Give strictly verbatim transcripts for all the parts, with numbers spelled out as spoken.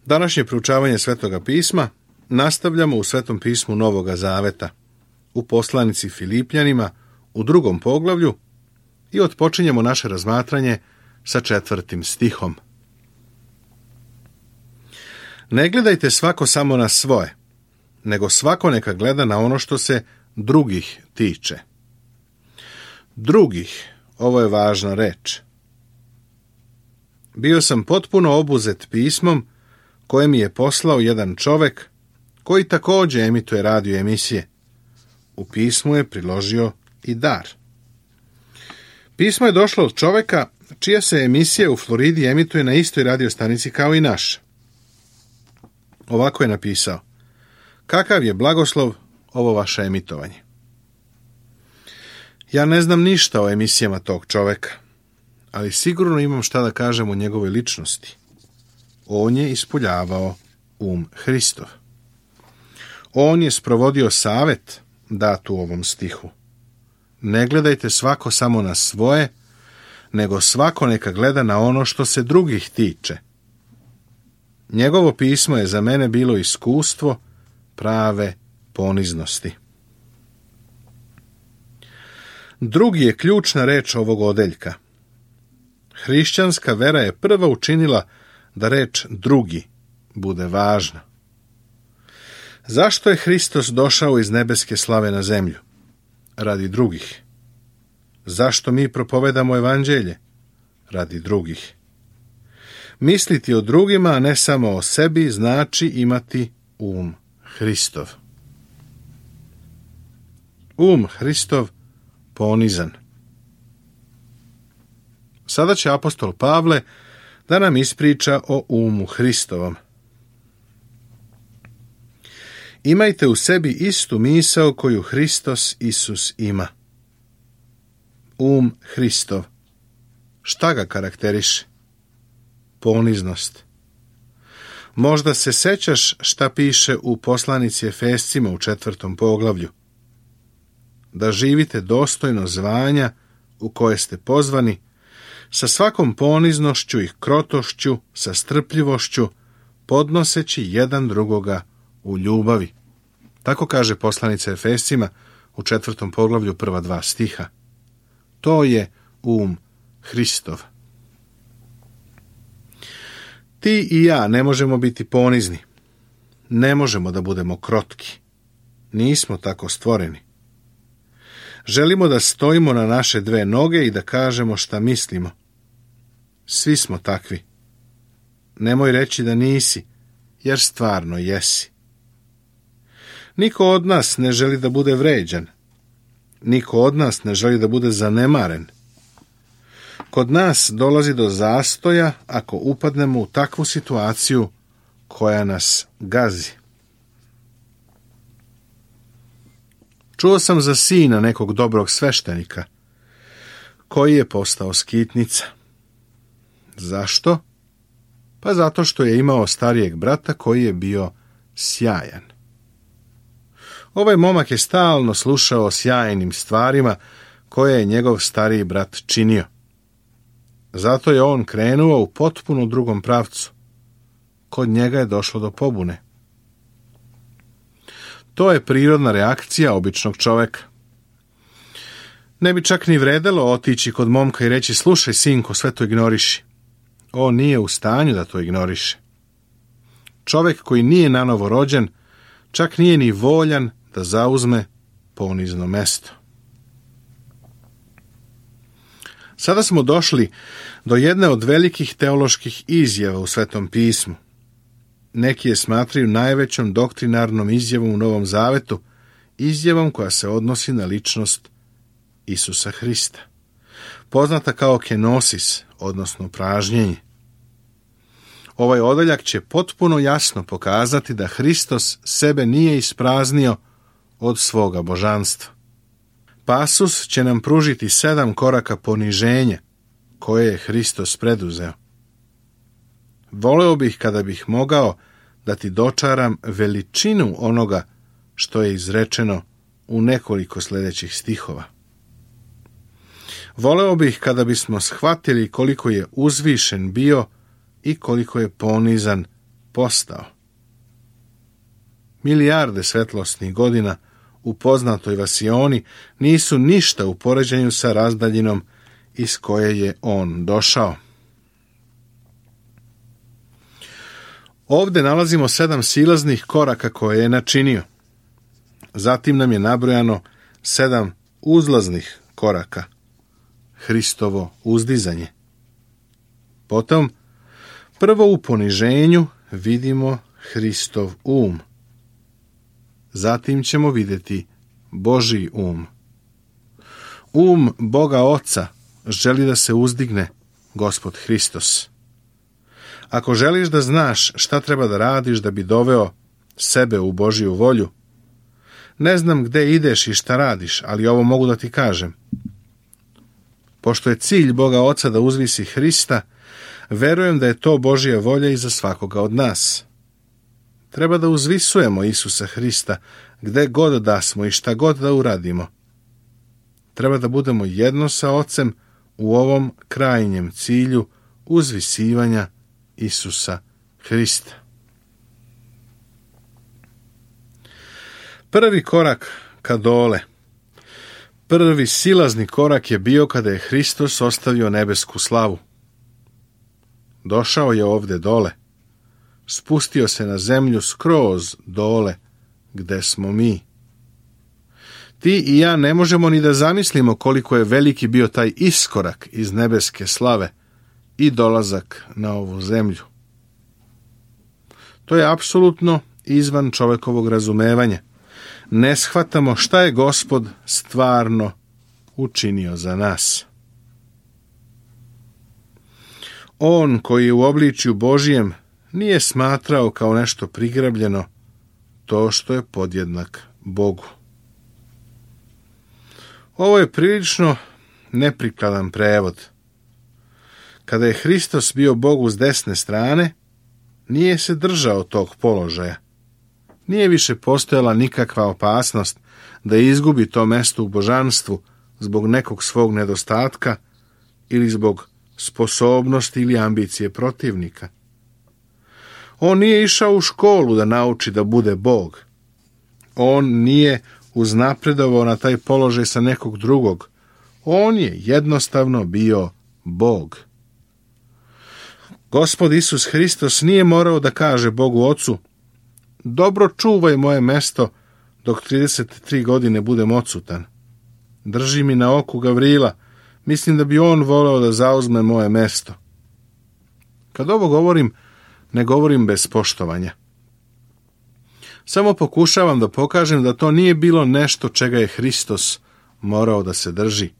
Današnje proučavanje Svetoga pisma nastavljamo u Svetom pismu Novoga Zaveta, u poslanici Filipljanima, u drugom poglavlju i otpočinjemo naše razmatranje sa četvrtim stihom. Ne gledajte svako samo na svoje, nego svako neka gleda na ono što se drugih tiče. Drugih, ovo je važna reč. Bio sam potpuno obuzet pismom koje mi je poslao jedan čovek koji također emituje radio emisije. U pismu je priložio i dar. Pismo je došlo od čoveka čija se emisija u Floridi emituje na istoj radio stanici kao i naša. Ovako je napisao: kakav je blagoslov ovo vaše emitovanje. Ja ne znam ništa o emisijama tog čoveka, ali sigurno imam šta da kažem o njegovoj ličnosti. On je ispoljavao um Hristov. On je sprovodio savet dat u ovom stihu. Ne gledajte svako samo na svoje, nego svako neka gleda na ono što se drugih tiče. Njegovo pismo je za mene bilo iskustvo prave poniznosti. Drugi je ključna reč ovog odeljka. Hrišćanska vera je prva učinila da reč drugi bude važna. Zašto je Hristos došao iz nebeske slave na zemlju? Radi drugih. Zašto mi propovedamo evanđelje? Radi drugih. Misliti o drugima, a ne samo o sebi, znači imati um Hristov. Um Hristov ponizan. Sada će apostol Pavle da nam ispriča o umu Hristovom. Imajte u sebi istu misao koju Hristos Isus ima. Um Hristov. Šta ga karakteriše? Poniznost. Možda se sećaš šta piše u poslanici Efescima u četvrtom poglavlju. Da živite dostojno zvanja u koje ste pozvani, sa svakom poniznošću i krotošću, sa strpljivošću, podnoseći jedan drugoga u ljubavi. Tako kaže poslanica Efescima u četvrtom poglavlju prva dva stiha. To je um Hristov. Ti i ja ne možemo biti ponizni. Ne možemo da budemo krotki. Nismo tako stvoreni. Želimo da stojimo na naše dve noge i da kažemo šta mislimo. Svi smo takvi. Nemoj reći da nisi, jer stvarno jesi. Niko od nas ne želi da bude vređan. Niko od nas ne želi da bude zanemaren. Kod nas dolazi do zastoja ako upadnemo u takvu situaciju koja nas gazi. Čuo sam za sina nekog dobrog sveštenika, koji je postao skitnica. Zašto? Pa zato što je imao starijeg brata koji je bio sjajan. Ovaj momak je stalno slušao o sjajnim stvarima koje je njegov stariji brat činio. Zato je on krenuo u potpuno drugom pravcu. Kod njega je došlo do pobune. To je prirodna reakcija običnog čoveka. Ne bi čak ni vredelo otići kod momka i reći: slušaj, sinko, sve to ignoriši. On nije u stanju da to ignoriše. Čovek koji nije nanovo rođen, čak nije ni voljan da zauzme ponizno mesto. Sada smo došli do jedne od velikih teoloških izjava u Svetom pismu. Neki je smatraju najvećom doktrinarnom izjavom u Novom Zavetu, izjavom koja se odnosi na ličnost Isusa Hrista, poznata kao kenosis, odnosno pražnjenje. Ovaj odeljak će potpuno jasno pokazati da Hristos sebe nije ispraznio od svoga božanstva. Pasus će nam pružiti sedam koraka poniženja koje je Hristos preduzeo. Voleo bih kada bih mogao da ti dočaram veličinu onoga što je izrečeno u nekoliko sljedećih stihova. Voleo bih kada bismo shvatili koliko je uzvišen bio i koliko je ponizan postao. Milijarde svetlosnih godina u poznatoj vasioni nisu ništa u poređenju sa razdaljinom iz koje je on došao. Ovdje nalazimo sedam silaznih koraka koje je načinio. Zatim nam je nabrojano sedam uzlaznih koraka. Hristovo uzdizanje. Potom, prvo u poniženju vidimo Hristov um. Zatim ćemo vidjeti Božji um. Um Boga Oca želi da se uzdigne Gospod Hristos. Ako želiš da znaš šta treba da radiš da bi doveo sebe u Božju volju, ne znam gde ideš i šta radiš, ali ovo mogu da ti kažem. Pošto je cilj Boga Oca da uzvisi Hrista, verujem da je to Božja volja i za svakoga od nas. Treba da uzvisujemo Isusa Hrista gde god da smo i šta god da uradimo. Treba da budemo jedno sa Ocem u ovom krajnjem cilju uzvisivanja Isusa Hrista. Prvi korak ka dole, prvi silazni korak je bio kada je Hristos ostavio nebesku slavu. Došao je ovde dole, spustio se na zemlju skroz dole gde smo mi. Ti i ja ne možemo ni da zamislimo koliko je veliki bio taj iskorak iz nebeske slave i dolazak na ovu zemlju. To je apsolutno izvan čovekovog razumevanja. Ne shvatamo šta je Gospod stvarno učinio za nas. On koji je u obličju Božijem nije smatrao kao nešto prigrabljeno to što je podjednak Bogu. Ovo je prilično neprikladan prevod. Kada je Hristos bio Bogu s desne strane, nije se držao tog položaja. Nije više postojala nikakva opasnost da izgubi to mesto u božanstvu zbog nekog svog nedostatka ili zbog sposobnosti ili ambicije protivnika. On nije išao u školu da nauči da bude Bog. On nije uznapredovao na taj položaj sa nekog drugog. On je jednostavno bio Bog. Gospod Isus Hristos nije morao da kaže Bogu Ocu: dobro čuvaj moje mesto dok trideset tri godine budem odsutan. Drži mi na oku Gavrila, mislim da bi on voleo da zauzme moje mesto. Kad ovo govorim, ne govorim bez poštovanja. Samo pokušavam da pokažem da to nije bilo nešto čega je Hristos morao da se drži.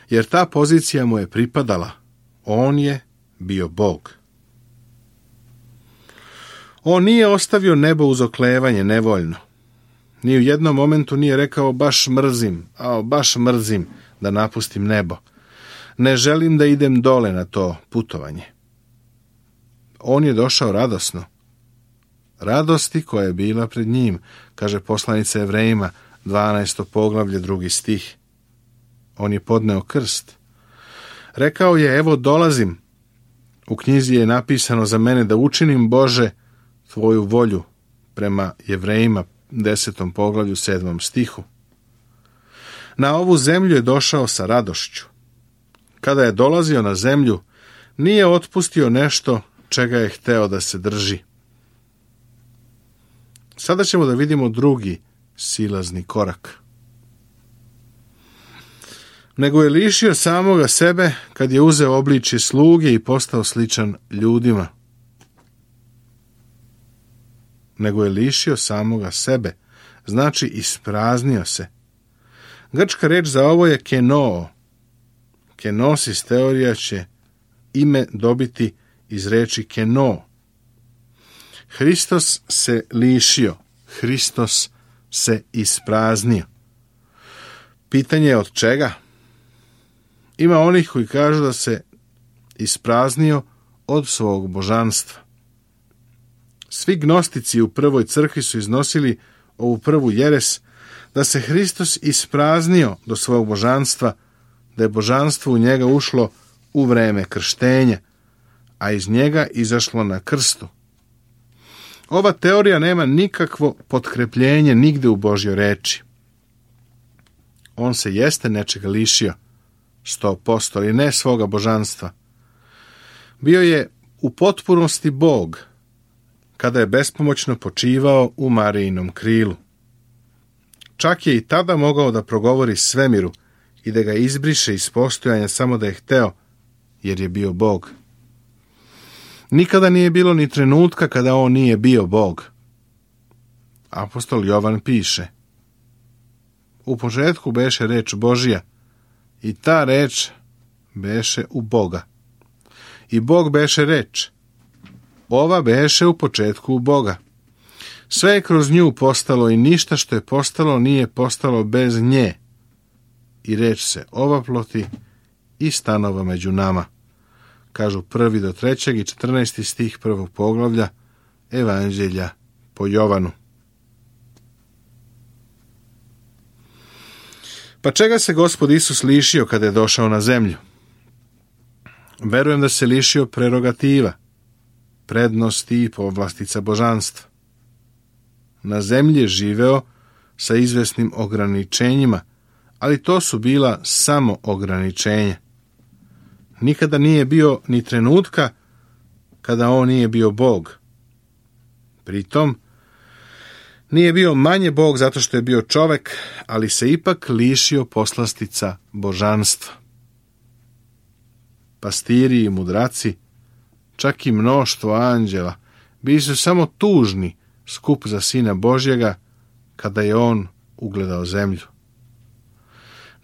Jer ta pozicija mu je pripadala. On je bio Bog. On nije ostavio nebo uz oklevanje nevoljno. Ni u jednom momentu nije rekao baš mrzim, a baš mrzim da napustim nebo. Ne želim da idem dole na to putovanje. On je došao radosno. Radosti koja je bila pred njim, kaže poslanica Evrejima, dvanaesto poglavlje, drugi stih. On je podneo krst. Rekao je: evo dolazim. U knjizi je napisano za mene da učinim, Bože, tvoju volju, prema Jevrejima, desetom poglavlju, sedmom stihu. Na ovu zemlju je došao sa radošću. Kada je dolazio na zemlju, nije otpustio nešto čega je hteo da se drži. Sada ćemo da vidimo drugi silazni korak. Nego je lišio samoga sebe kad je uzeo obličje sluge i postao sličan ljudima. Nego je lišio samoga sebe, znači ispraznio se. Grčka reč za ovo je kenoo. Kenosis teorija će ime dobiti iz reči keno. Hristos se lišio, Hristos se ispraznio. Pitanje je od čega? Ima onih koji kažu da se ispraznio od svog božanstva. Svi gnostici u prvoj crkvi su iznosili ovu prvu jeres, da se Hristos ispraznio do svog božanstva, da je božanstvo u njega ušlo u vreme krštenja, a iz njega izašlo na krstu, Ova teorija nema nikakvo potkrepljenje nigde u Božjoj reči. On se jeste nečega lišio, sto posto, ali ne svoga božanstva. Bio je u potpunosti Bog, kada je bespomoćno počivao u Marijinom krilu. Čak je i tada mogao da progovori svemiru i da ga izbriše iz postojanja samo da je hteo, jer je bio Bog. Nikada nije bilo ni trenutka kada on nije bio Bog. Apostol Jovan piše: u početku beše reč Božija, i ta reč beše u Boga. I Bog beše reč. Ova beše u početku u Boga. Sve je kroz nju postalo i ništa što je postalo nije postalo bez nje. I reč se ovaploti i stanova među nama. Kažu prvi do trećeg i četrnaesti stih prvog poglavlja Evanđelja po Jovanu. Pa čega se Gospod Isus lišio kada je došao na zemlju? Verujem da se lišio prerogativa, prednosti i povlastica božanstva. Na zemlji je živeo sa izvesnim ograničenjima, ali to su bila samo ograničenja. Nikada nije bio ni trenutka kada on nije bio Bog. Pritom, nije bio manje Bog zato što je bio čovek, ali se ipak lišio poslastica božanstva. Pastiri i mudraci, čak i mnoštvo anđela, bili su samo tužni skup za Sina Božjega kada je on ugledao zemlju.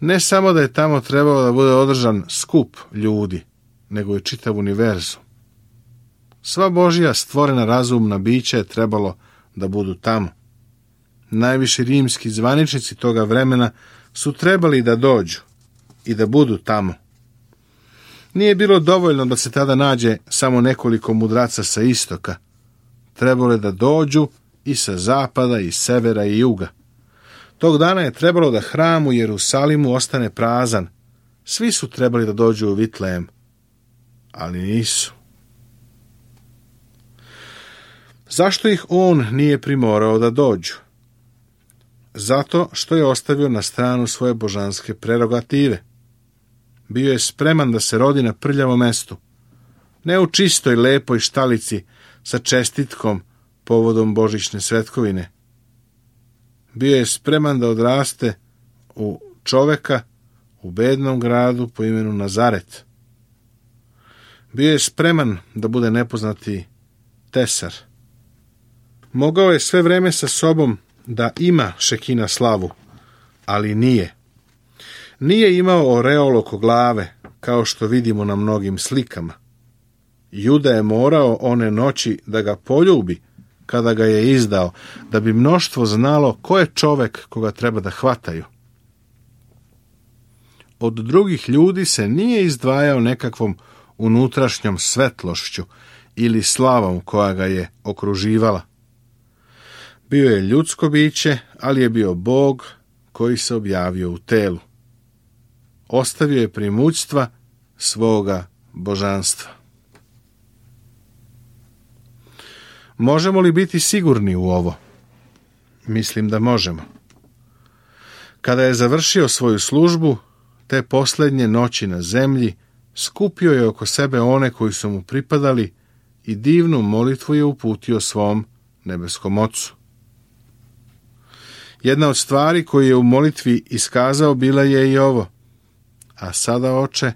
Ne samo da je tamo trebao da bude održan skup ljudi, nego je čitav univerzum. Sva Božja stvorena razumna bića je trebalo da budu tamo. Najviši rimski zvaničnici toga vremena su trebali da dođu i da budu tamo. Nije bilo dovoljno da se tada nađe samo nekoliko mudraca sa istoka. Trebalo je da dođu i sa zapada, i severa, i juga. Tog dana je trebalo da hram u Jerusalimu ostane prazan. Svi su trebali da dođu u Vitlejem, ali nisu. Zašto ih on nije primorao da dođu? Zato što je ostavio na stranu svoje božanske prerogative. Bio je spreman da se rodi na prljavom mestu, ne u čistoj, lepoj štalici sa čestitkom povodom božićne svetkovine. Bio je spreman da odraste u čoveka u bednom gradu po imenu Nazaret. Bio je spreman da bude nepoznati tesar. Mogao je sve vreme sa sobom da ima Šekina slavu, ali nije. Nije imao oreol oko glave, kao što vidimo na mnogim slikama. Juda je morao one noći da ga poljubi kada ga je izdao, da bi mnoštvo znalo ko je čovek koga treba da hvataju. Od drugih ljudi se nije izdvajao nekakvom unutrašnjom svetlošću ili slavom koja ga je okruživala. Bio je ljudsko biće, ali je bio Bog koji se objavio u telu. Ostavio je primućstva svoga božanstva. Možemo li biti sigurni u ovo? Mislim da možemo. Kada je završio svoju službu, te posljednje noći na zemlji, skupio je oko sebe one koji su mu pripadali i divnu molitvu je uputio svom nebeskom Ocu. Jedna od stvari koju je u molitvi iskazao bila je i ovo: a sada, Oče,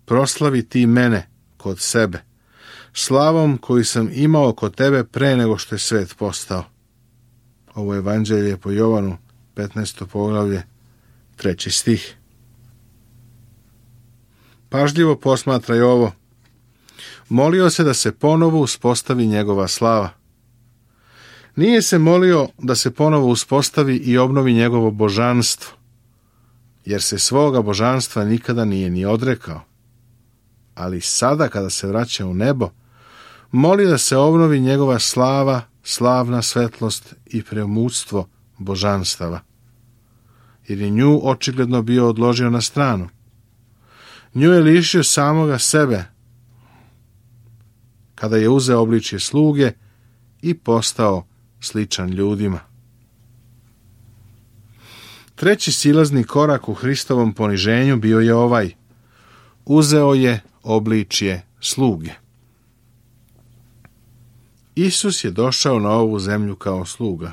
proslavi ti mene kod sebe, slavom koju sam imao kod tebe pre nego što je svet postao. Ovo je Evanđelje po Jovanu, petnaesto poglavlje, treći stih. Pažljivo posmatraj ovo. Molio se da se ponovo uspostavi njegova slava. Nije se molio da se ponovo uspostavi i obnovi njegovo božanstvo, jer se svoga božanstva nikada nije ni odrekao. Ali sada, kada se vraća u nebo, moli da se obnovi njegova slava, slavna svetlost i premućstvo božanstava, jer je nju očigledno bio odložio na stranu. Nju je lišio samoga sebe, kada je uzeo obličje sluge i postao sličan ljudima. Treći silazni korak u Hristovom poniženju bio je ovaj: uzeo je obličje sluge. Isus je došao na ovu zemlju kao sluga.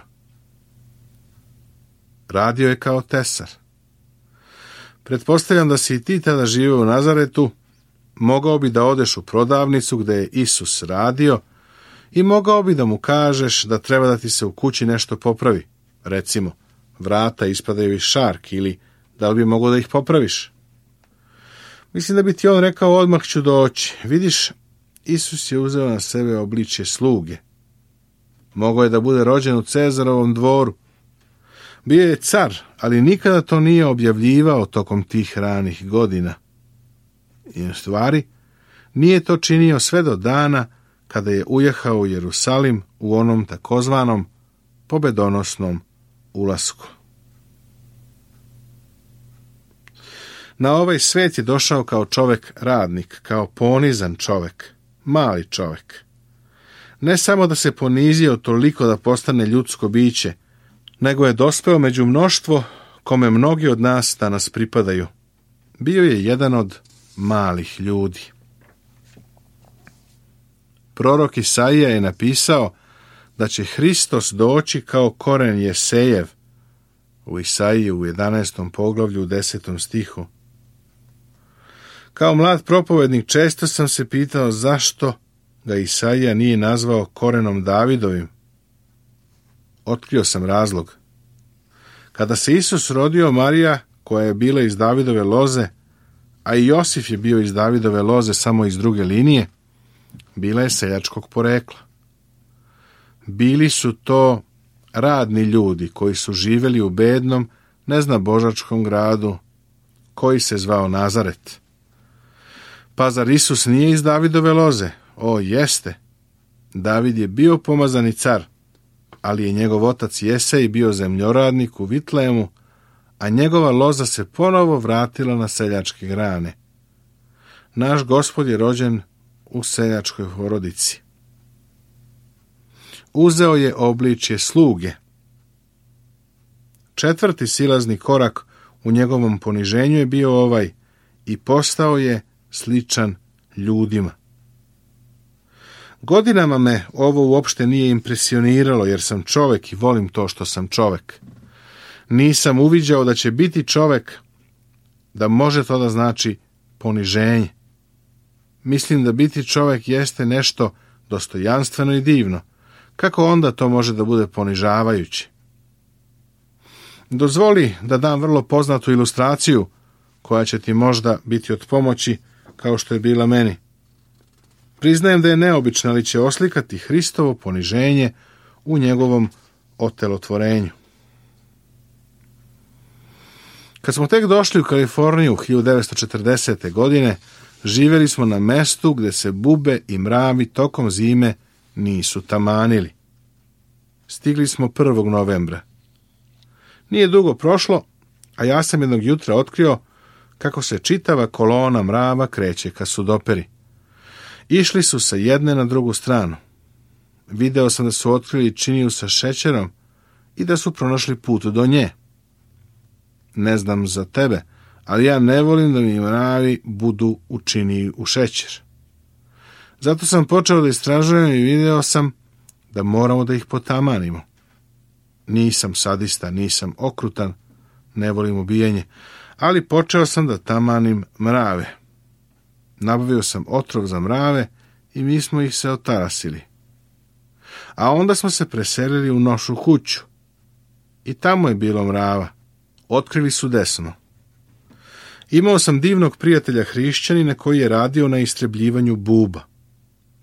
Radio je kao tesar. Pretpostavljam da si i ti tada živio u Nazaretu, mogao bi da odeš u prodavnicu gde je Isus radio i mogao bi da mu kažeš da treba da ti se u kući nešto popravi. Recimo, vrata ispadaju iz šarki, ili da li bi mogao da ih popraviš? Mislim da bi ti on rekao: odmah ću doći. Vidiš, Isus je uzeo na sebe obličje sluge. Mogao je da bude rođen u Cezarovom dvoru. Bio je car, ali nikada to nije objavljivao tokom tih ranih godina. I u stvari, nije to činio sve do dana kada je ujehao u Jerusalim u onom takozvanom pobedonosnom ulasku. Na ovaj svet je došao kao čovek radnik, kao ponizan čovek, mali čovek. Ne samo da se ponizio toliko da postane ljudsko biće, nego je dospeo među mnoštvo kome mnogi od nas danas pripadaju. Bio je jedan od malih ljudi. Prorok Isaija je napisao da će Hristos doći kao koren Jesejev u Isaiji u jedanaestom poglavlju u desetom stihu. Kao mlad propovednik često sam se pitao zašto ga Isaija nije nazvao korenom Davidovim. Otkrio sam razlog. Kada se Isus rodio, Marija, koja je bila iz Davidove loze, a i Josif je bio iz Davidove loze samo iz druge linije, bila je seljačkog porekla. Bili su to radni ljudi koji su živjeli u bednom, neznabožačkom gradu koji se zvao Nazaret. Pa zar Isus nije iz Davidove loze? O, jeste. David je bio pomazani car, ali je njegov otac Jesej bio zemljoradnik u Vitlemu, a njegova loza se ponovo vratila na seljačke grane. Naš Gospod je rođen u seljačkoj porodici. Uzeo je obličje sluge. Četvrti silazni korak u njegovom poniženju je bio ovaj: i postao je sličan ljudima. Godinama me ovo uopšte nije impresioniralo, jer sam čovek i volim to što sam čovek. Nisam uviđao da će biti čovek, da može to da znači poniženje. Mislim da biti čovek jeste nešto dostojanstveno i divno. Kako onda to može da bude ponižavajuće? Dozvoli da dam vrlo poznatu ilustraciju koja će ti možda biti od pomoći, kao što je bila meni. Priznajem da je neobična, ali će oslikati Hristovo poniženje u njegovom otelotvorenju. Kad smo tek došli u Kaliforniju hiljadu devetsto četrdesete. godine, živjeli smo na mestu gde se bube i mravi tokom zime nisu tamanili. Stigli smo prvog novembra. Nije dugo prošlo, a ja sam jednog jutra otkrio kako se čitava kolona mrava kreće ka Sudoperi. Išli su sa jedne na drugu stranu. Video sam da su otkrili činiju sa šećerom i da su pronašli put do nje. Ne znam za tebe, ali ja ne volim da mi mravi budu u činiji u šećer. Zato sam počeo da istražujem i video sam da moramo da ih potamanimo. Nisam sadista, nisam okrutan, ne volim ubijanje, ali počeo sam da tamanim mrave. Nabavio sam otrov za mrave i mi smo ih se otarasili. A onda smo se preselili u našu kuću. I tamo je bilo mrava. Otkrili su desno. Imao sam divnog prijatelja hrišćanina koji je radio na istrebljivanju buba.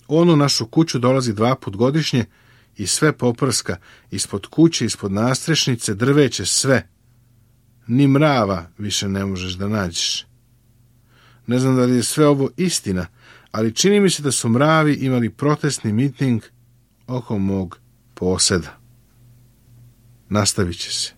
On u našu kuću dolazi dva put godišnje i sve poprska, ispod kuće, ispod nastrešnice, drveće, sve. Ni mrava više ne možeš da nađeš. Ne znam da li je sve ovo istina, ali čini mi se da su mravi imali protestni miting oko mog poseda. Nastavit će se.